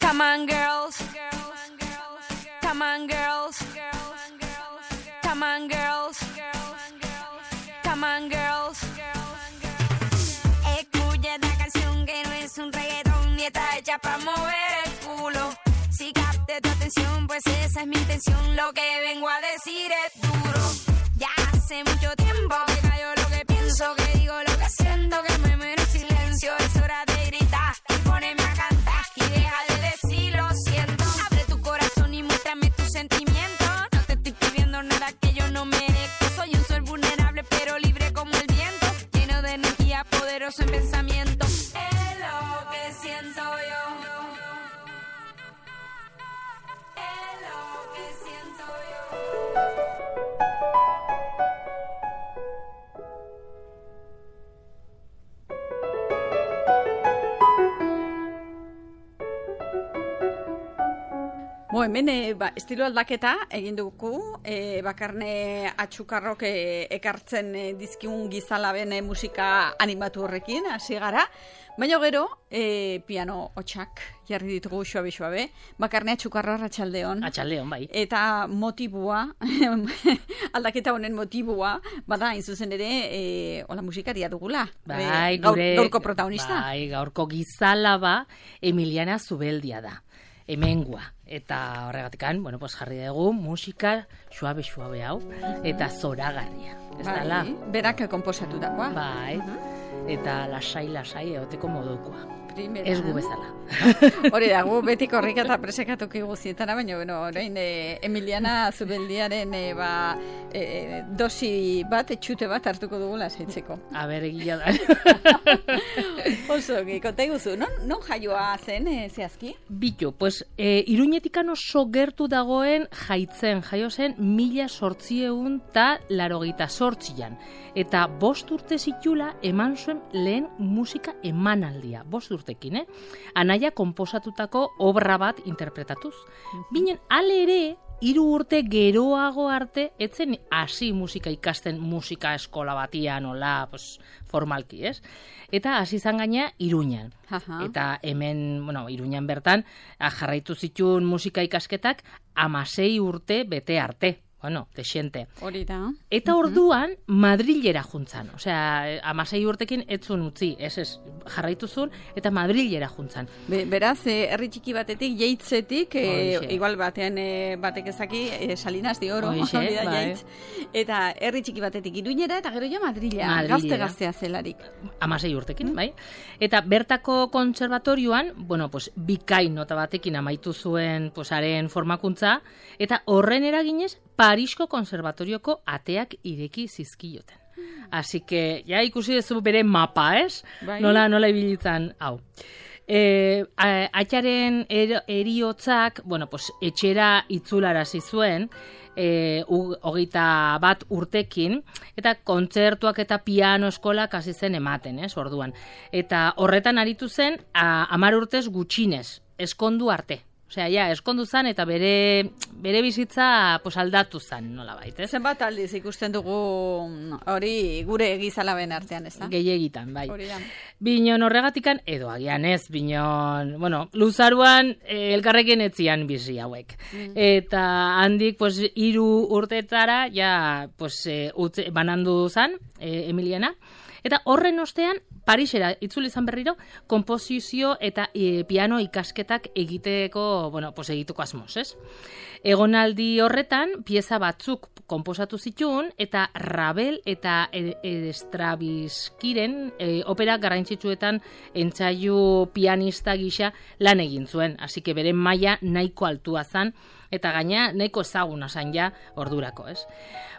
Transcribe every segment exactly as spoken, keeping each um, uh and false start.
Come on, girls. Come on, girls. Come on, girls. Come on, girls. Escucha esta canción que no es un reggaetón ni está hecha para mover el culo. Si capte tu atención, pues esa es mi intención. Lo que vengo a decir es duro. Ya hace mucho tiempo que callo lo que pienso, que digo lo que siento, que me muero en silencio. Es hora de gritar y ponerme a cantar y deja de decir lo siento. Abre tu corazón y muéstrame tus sentimientos. No te estoy pidiendo nada que yo no merezco. Soy un sol vulnerable pero libre como el viento, lleno de energía, poderoso en pensamiento. Es lo que siento yo. Es lo que siento yo. Bo, hemen e, ba, estilo aldaketa egin dugu, e, bakarne atxukarrok e, ekartzen e, dizkigun gizalaben e, musika animatu horrekin, hasi gara, baina gero e, piano hotxak jarri ditugu suabe-suabe, bakarne atxukarro arratsaldeon. Atxaldeon, bai. Eta motibua, aldaketa honen motibua, bada, hain zuzen ere, e, hola musikaria dugula. Bai, gaur, gure, gaurko protagonista. Bai, gaurko gizalaba Emiliana Zubeldia da. Hemengua. Eta horregatikan, bueno, pues jarri dugu musika suabe-suabe hau, eta zoragarria. Ez bai, dala? Berak konposatu dakoa. Bai, eta lasai-lasai egoteko modukoa. Primera. Ez gu bezala. Hori da, gu beti korrika eta presekatuki guzietara, baina, bueno, orain e, Emiliana Zubeldiaren e, ba, e, dosi bat, etxute bat hartuko dugu lasaitzeko. A ber, egia da. Oso, konta iguzu, non, non jaioa zen, e, zehazki? Bitu, pues, e, Iruñetikan oso gertu dagoen jaitzen, jaio zen mila sortzieun eta larogeita sortzian. Eta bost urte zitula eman zuen lehen musika emanaldia, bost urtekin, eh? Anaia konposatutako obra bat interpretatuz. Binen, ale ere, hiru urte geroago arte, etzen hasi musika ikasten musika eskola batian, ola, pues, formalki, ez? Eta hasi izan gaina Iruñan. Aha. Eta hemen, bueno, Iruñan bertan, jarraitu zituen musika ikasketak amasei urte bete arte. Bueno, desiente. Hori da. Eta orduan, Madrilera juntzan. Osea, amasei urtekin etzun utzi, ez ez, jarraitu zuen, eta Madrilera juntzan. Be, beraz, eh, herri txiki batetik, jeitzetik, eh, igual batean eh, batek ezaki, eh, Salinas de Oro, Oixe, hori da, bai. jeitz. Eta herri txiki batetik Iruñera, eta gero ja Madrila, Madrilera. gazte-gaztea zelarik. Amasei urtekin, bai. Eta bertako kontserbatorioan, bueno, pues, bikain nota batekin amaitu zuen, pues, haren formakuntza, eta horren eraginez, Parisko konservatorioko ateak ireki zizkioten. Así que, ja ikusi duzu bere mapa, ez? Bai. Nola, nola ibilitzan, hau. E, atxaren er, eriotzak, bueno, pues, etxera itzularazi zuen, e, hogeita bat urtekin, eta kontzertuak eta piano eskolak hasi zen ematen, ez, orduan. Eta horretan aritu zen, a, amar urtez gutxinez, eskondu arte. Osea, ja, eskondu zan eta bere, bere bizitza pues, aldatu zan, nola baita, ez? Zenbat aldiz ikusten dugu hori gure gizalaben artean, ez da? Gehiagitan, bai. Hori da. Binon horregatikan, edo agian ez, binon, bueno, luzaruan eh, elkarrekin etzian bizi hauek. Mm. Eta handik, pues, hiru urtetara, ja, pues, eh, utze, banandu zan, eh, Emiliana. Eta horren ostean, Parisera itzuli izan berriro, konposizio eta e, piano ikasketak egiteko, bueno, pues egiteko asmoz, ez? Egonaldi horretan, pieza batzuk konposatu zituen, eta Ravel eta Stravinskiren e, opera garrantzitsuetan entzaiu pianista gisa lan egin zuen. Así que bere maila nahiko altua zan, eta gaina nahiko ezaguna zan ja ordurako, ez?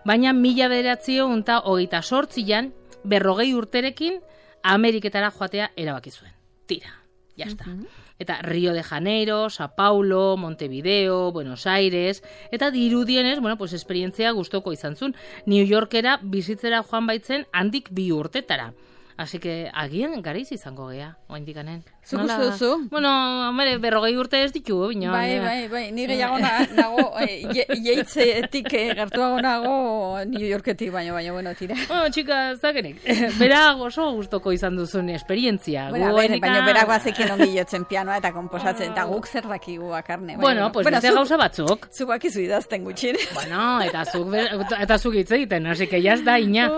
Baina mila bederatziehun eta hogeita sortzian, berrogei urterekin Ameriketara joatea erabaki zuen. Tira, jazta. Uh-huh. Eta Rio de Janeiro, Sao Paulo, Montevideo, Buenos Aires, eta dirudienez, bueno, pues esperientzia gustoko izan zuen. New Yorkera bizitzera joan baitzen handik bi urtetara. Así que agian garaiz izango gea, oaindik anen. Zuk uste duzu? Bueno, hombre, berrogei urte ez ditu, bina. Bai, bai, bai, ni gehiago nago, jeitzetik gertuago nago New Yorketik, baina, baina, bueno, tira. Bueno, txika, zakenik, bera oso gustoko izan duzun esperientzia. Bueno, ber, baina berak bazekien ongi jotzen pianoa eta komposatzen, eta guk zer dakigu bakarne. Bueno, pues beste gauza batzuk. Zuk bakizu idazten gutxin. Bueno, eta zuk, eta zuk hitz egiten, así que ya ez da, ina.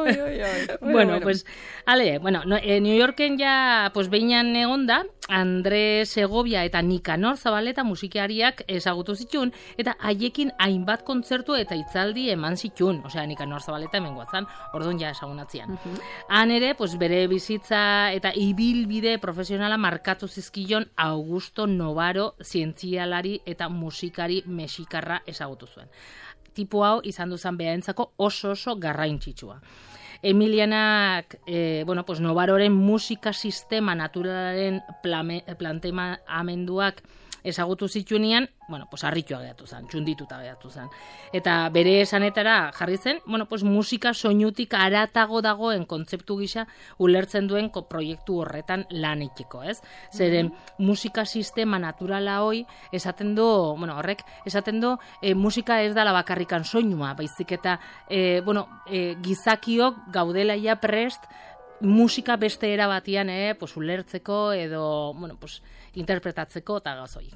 Bueno, pues, ale, bueno, no, eh, New Yorken ja, pues, behinan egonda, Andre Segovia eta Nikanor Zabaleta musikariak ezagutu zituen, eta haiekin hainbat kontzertu eta hitzaldi eman zituen, osea, Nikanor Zabaleta hemen guatzan, orduan ja ezagunatzean. Uh-huh. Han ere, pues, bere bizitza eta ibilbide profesionala markatu zizkion Augusto Novaro zientzialari eta musikari mexikarra ezagutu zuen. Tipo hau izan duzan behaentzako oso oso garrantzitsua. Emilianak, eh, bueno, pues Novaroren musika sistema naturalaren planteamenduak ezagutu zituenean, bueno, pues harritua geratu zen, txundituta geratu zen. Eta bere esanetara jarri zen, bueno, pues musika soinutik aratago dagoen kontzeptu gisa ulertzen duen proiektu horretan lan egiteko, ez? Zeren mm-hmm. musika sistema naturala hoi esaten du, bueno, horrek esaten du e, musika ez dala bakarrikan soinua, baizik eta e, bueno, e, gizakiok gaudela ja prest musika beste era batian, eh, pues ulertzeko edo, bueno, pues interpretatzeko eta gazoik.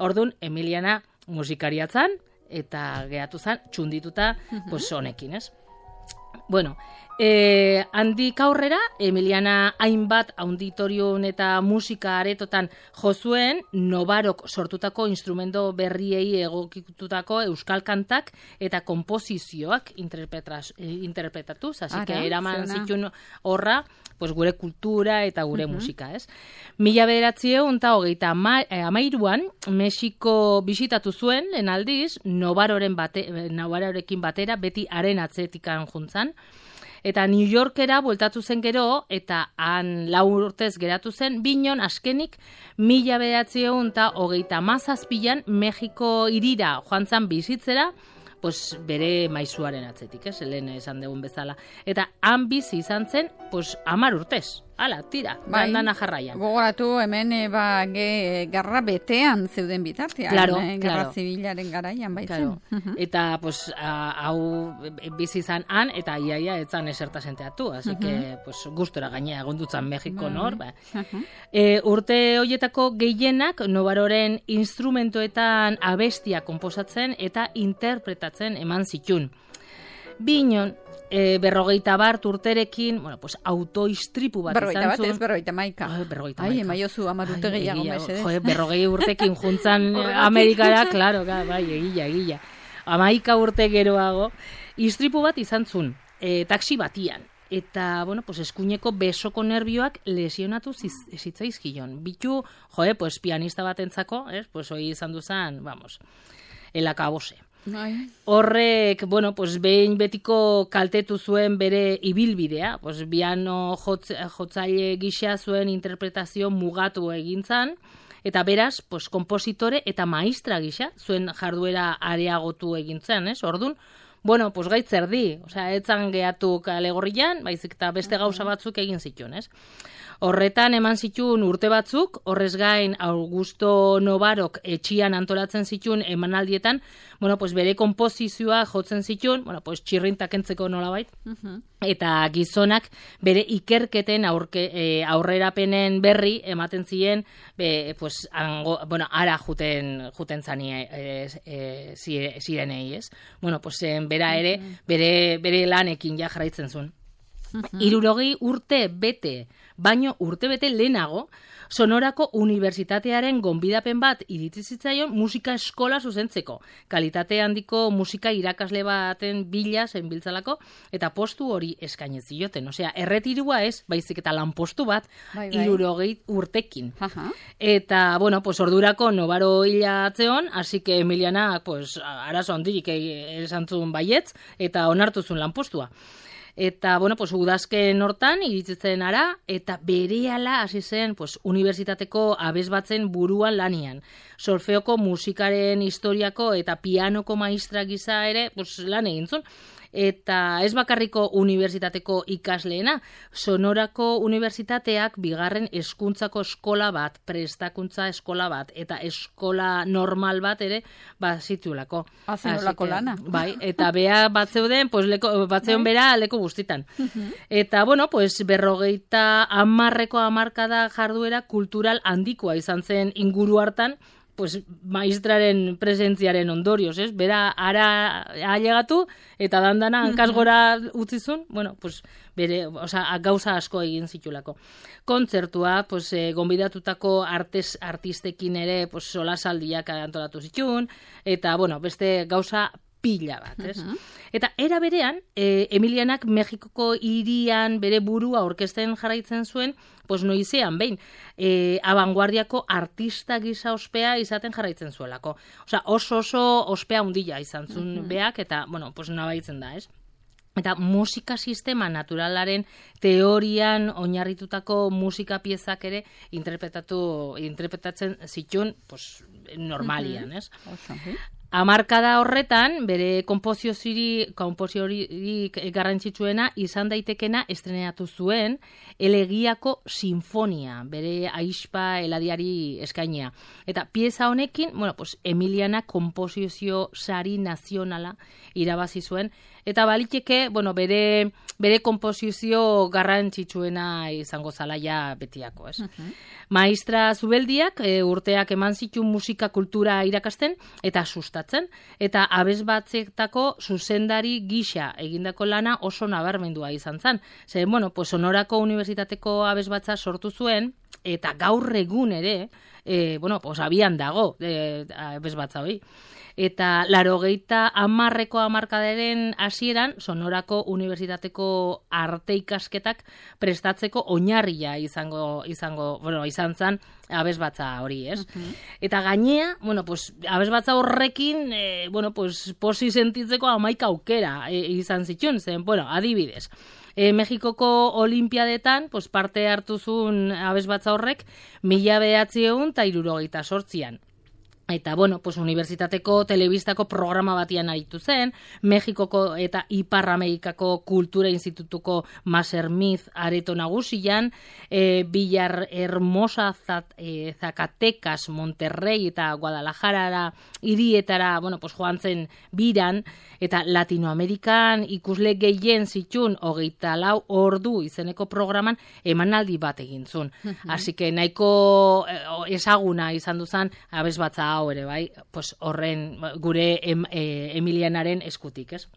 Orduan, Emiliana musikariatzan eta gehatu zan txundituta uh-huh. pues honekin, ez? Bueno, eh, handik aurrera, Emiliana hainbat auditorium eta musika aretotan jozuen, Novarok sortutako instrumento berriei egokitutako euskal kantak eta konposizioak interpretatuz, así que eraman zituen horra, pues gure kultura eta gure uh-huh. musika, ez? Mila bederatziehun eta hogeita hamairuan, Mexiko bisitatu zuen, lehen aldiz, Novaroren bate, Novarorekin batera, beti haren atzetikan juntzan, eta New Yorkera bueltatu zen gero, eta han lau urtez geratu zen, binon askenik mila bederatziehun eta hogeita hamazazpian Mexiko irira joan zan bizitzera, pues bere maizuaren atzetik, ez, lehen esan dugun bezala. Eta han bizi izan zen, pues hamar urtez. Hala, tira, bai, dandana jarraian. Gogoratu hemen e, ba, ge, garra betean zeuden bitartean, claro, e, garra claro. zibilaren garaian baitzen. Claro. Uh-huh. Eta, pues, a, hau bizi izan han, eta iaia etzan eserta senteatu, así uh-huh. que, pues, gustora gainea egondutzan Mexiko nor. Ba. Uh-huh. E, urte hoietako gehienak Novaroren instrumentoetan abestia konposatzen eta interpretatzen eman zitun. Binon, e, berrogeita bart urterekin, bueno, pues autoistripu bat berrogeita izan bat, zuen. Ez berrogeita maika. Ai, berrogeita maika. Ai, emaiozu amar urte gehiago mesedez. Jo, berrogei urtekin juntzan Amerikara, claro, bai, egila, egila. Amaika urte geroago, istripu bat izan zuen, e, taksi batian. Eta, bueno, pues eskuineko besoko nervioak lesionatu zitzaizkion. Bitu, jo, pues pianista batentzako, eh, pues hoi izan duzan, vamos, el akabose. Ai. Horrek, bueno, pues behin betiko kaltetu zuen bere ibilbidea, pues piano jotz, jotzaile gisa zuen interpretazio mugatu egintzan, eta beraz, pues kompositore eta maistra gisa zuen jarduera areagotu egintzen, ez? Ordun, bueno, pues gaitz erdi, osea, etzan gehatu kalegorrian, baizik eta beste gauza batzuk egin zituen, ez? Horretan eman zituen urte batzuk, horrez gain Augusto Novarok etxian antolatzen zituen emanaldietan, bueno, pues bere konposizioa jotzen zituen, bueno, pues txirrintak entzeko nolabait, uh-huh. eta gizonak bere ikerketen aurke, e, aurrerapenen berri ematen ziren, be, pues, ango, bueno, ara juten, juten zani e, e, zirenei, ez? Bueno, pues bera ere, bere, bere lanekin ja jarraitzen zuen. Uh-huh. Hirurogei urte bete, baino urte bete lehenago, Sonorako Unibertsitatearen gonbidapen bat iritsi zitzaion musika eskola zuzentzeko. Kalitate handiko musika irakasle baten bila zenbiltzalako, eta postu hori eskainez zioten. Osea, erretirua ez, baizik eta lanpostu bat, bai, bai. hirurogei urtekin. Uh-huh. Eta, bueno, pues ordurako Novaro hilatzeon, así que Emiliana, pues, arazo handirik esan zuen baietz, eta onartu zuen lanpostua. Eta, bueno, pues, udazken hortan iritzen ara, eta berehala hasi zen, pues, unibertsitateko abesbatzen buruan lanian. Solfeoko musikaren historiako eta pianoko maistra gisa ere, pues, lan egin zuen. eta ez bakarriko unibertsitateko ikasleena, Sonorako unibertsitateak bigarren hezkuntzako eskola bat, prestakuntza eskola bat, eta eskola normal bat ere, bat zitulako. Azenolako lana. Bai, eta bea bat zeuden, pues, leko, bat zeuden bera leku guztitan. Eta, bueno, pues, berrogeita amarreko amarkada jarduera kultural handikoa izan zen inguru hartan, pues, maestraren presentziaren ondorioz, ez? Bera, ara ailegatu, eta dandana hankaz gora utzizun, bueno, pues, bere, osea, gauza asko egin zitulako. Kontzertua, pues, eh, gonbidatutako artes, artistekin ere, pues, solasaldiak antolatu zituen, eta, bueno, beste gauza pila bat, ez? Uh-huh. Eta era berean, eh, Emilianak Mexikoko hirian bere burua orkesten jarraitzen zuen, pues noizean behin, eh, abanguardiako artista gisa ospea izaten jarraitzen zuelako. Osea, oso oso ospea hundila izan zuen uh-huh. beak, eta, bueno, pues nabaitzen da, ez? Eta musika sistema naturalaren teorian oinarritutako musika piezak ere interpretatu, interpretatzen zituen, pues, normalian, ez? Uh-huh. Hamarkada horretan, bere konposiziorik garrantzitsuena izan daitekena estrenatu zuen Elegiako Sinfonia, bere ahispa eladiari eskainia. Eta pieza honekin, bueno, pues, Emiliana konposizio sari nazionala irabazi zuen, eta baliteke, bueno, bere, bere konposizio garrantzitsuena izango zala ja betiako, ez? Uh-huh. Maestra Zubeldiak e, urteak eman zituen musika kultura irakasten eta sustatzen, eta abesbatzetako zuzendari gisa egindako lana oso nabarmendua izan zen. Zer, bueno, pues Sonorako unibertsitateko abesbatza sortu zuen, eta gaur egun ere, e, bueno, pues abian dago e, abesbatza hori. Eta larogeita hamarreko hamarkadaren hasieran Sonorako unibertsitateko arte ikasketak prestatzeko oinarria izango izango, bueno, izan zen abesbatza hori, ez? Uh-huh. Eta gainea, bueno, pues abesbatza horrekin, eh, bueno, pues posi sentitzeko hamaika aukera eh, izan zituen, zen, bueno, adibidez. E, Mexikoko olimpiadetan, pues, parte hartu zuen abesbatza horrek mila bederatziehun eta hirurogeita zortzian. Eta, bueno, pues, unibertsitateko telebistako programa batian aritu zen, Mexikoko eta Ipar Amerikako Kultura Institutuko Masermiz areto nagusian, e, Villar Hermosa, Zat, e, Zacatecas, Monterrey eta Guadalajara hirietara, bueno, pues, joan zen biran, eta Latinoamerikan ikusle gehien zitun hogeita lau ordu izeneko programan emanaldi bat egin zuen. Uh-huh. Así que nahiko ezaguna izan duzan abesbatza hau ere, bai, pues horren gure em, e, Emilianaren eskutik, ez?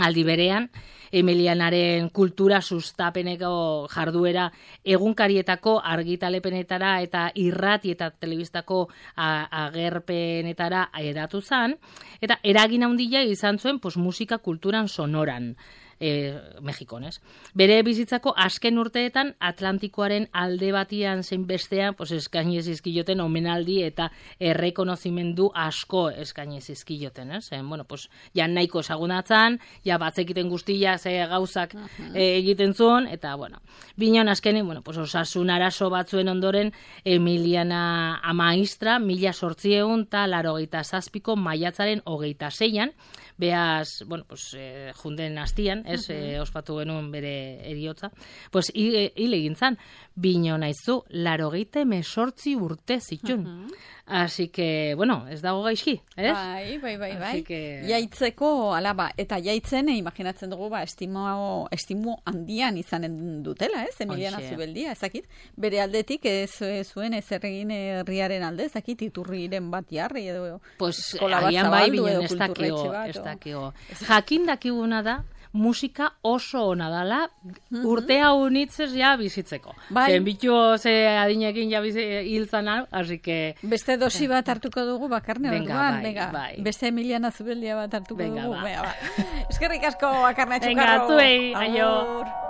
Aldi berean, Emilianaren kultura sustapeneko jarduera egunkarietako argitalepenetara eta irrati eta telebistako agerpenetara eratu zen, eta eragin handia izan zuen pues, musika kulturan sonoran. E, Mexikon, ez? Bere bizitzako azken urteetan Atlantikoaren alde batian zein bestean pues, eskaini zizkioten omenaldi eta errekonozimendu asko eskaini zizkioten, ez? En, bueno, pues, ja nahiko esagunatzen, ja batzekiten guztia ze gauzak uh-huh. e, egiten zuen, eta, bueno, bineon azkenin, bueno, pues, osasun arazo batzuen ondoren Emiliana Amaistra, mila sortzieun eta larogeita zazpiko maiatzaren hogeita zeian, beaz, bueno, pues, e, junden hastian, ez, uh-huh. e, ospatu genuen bere eriotza, pues, hile egin zan, bino naizu, larogeita mesortzi urte zitun. Uh-huh. Así que, bueno, ez dago gaizki, ez? Bai, bai, bai, bai. Que... Jaitzeko, alaba, eta jaitzen, eh, imaginatzen dugu, ba, estimo, estimo handian izanen dutela, ez? Emiliana Zubeldia, ezakit. Bere aldetik, ez zuen ez erregin herriaren alde, ezakit, iturriren bat jarri, edo pues, eskola bat zabaldu, edo kulturretxe bat. Ez dakio, jakin dakiguna da, musika oso ona dala, mm-hmm. urtea unitzez ja bizitzeko. Bai. Zen bitu ze adinekin ja hiltzan hau, hasi que... Beste dosi bat hartuko dugu bakarne orduan. Venga, bai, bai. Beste Emiliana Zubeldia bat hartuko Venga, dugu. Ba. Eskerrik asko bakarne txukarro. Venga, zuei, aio.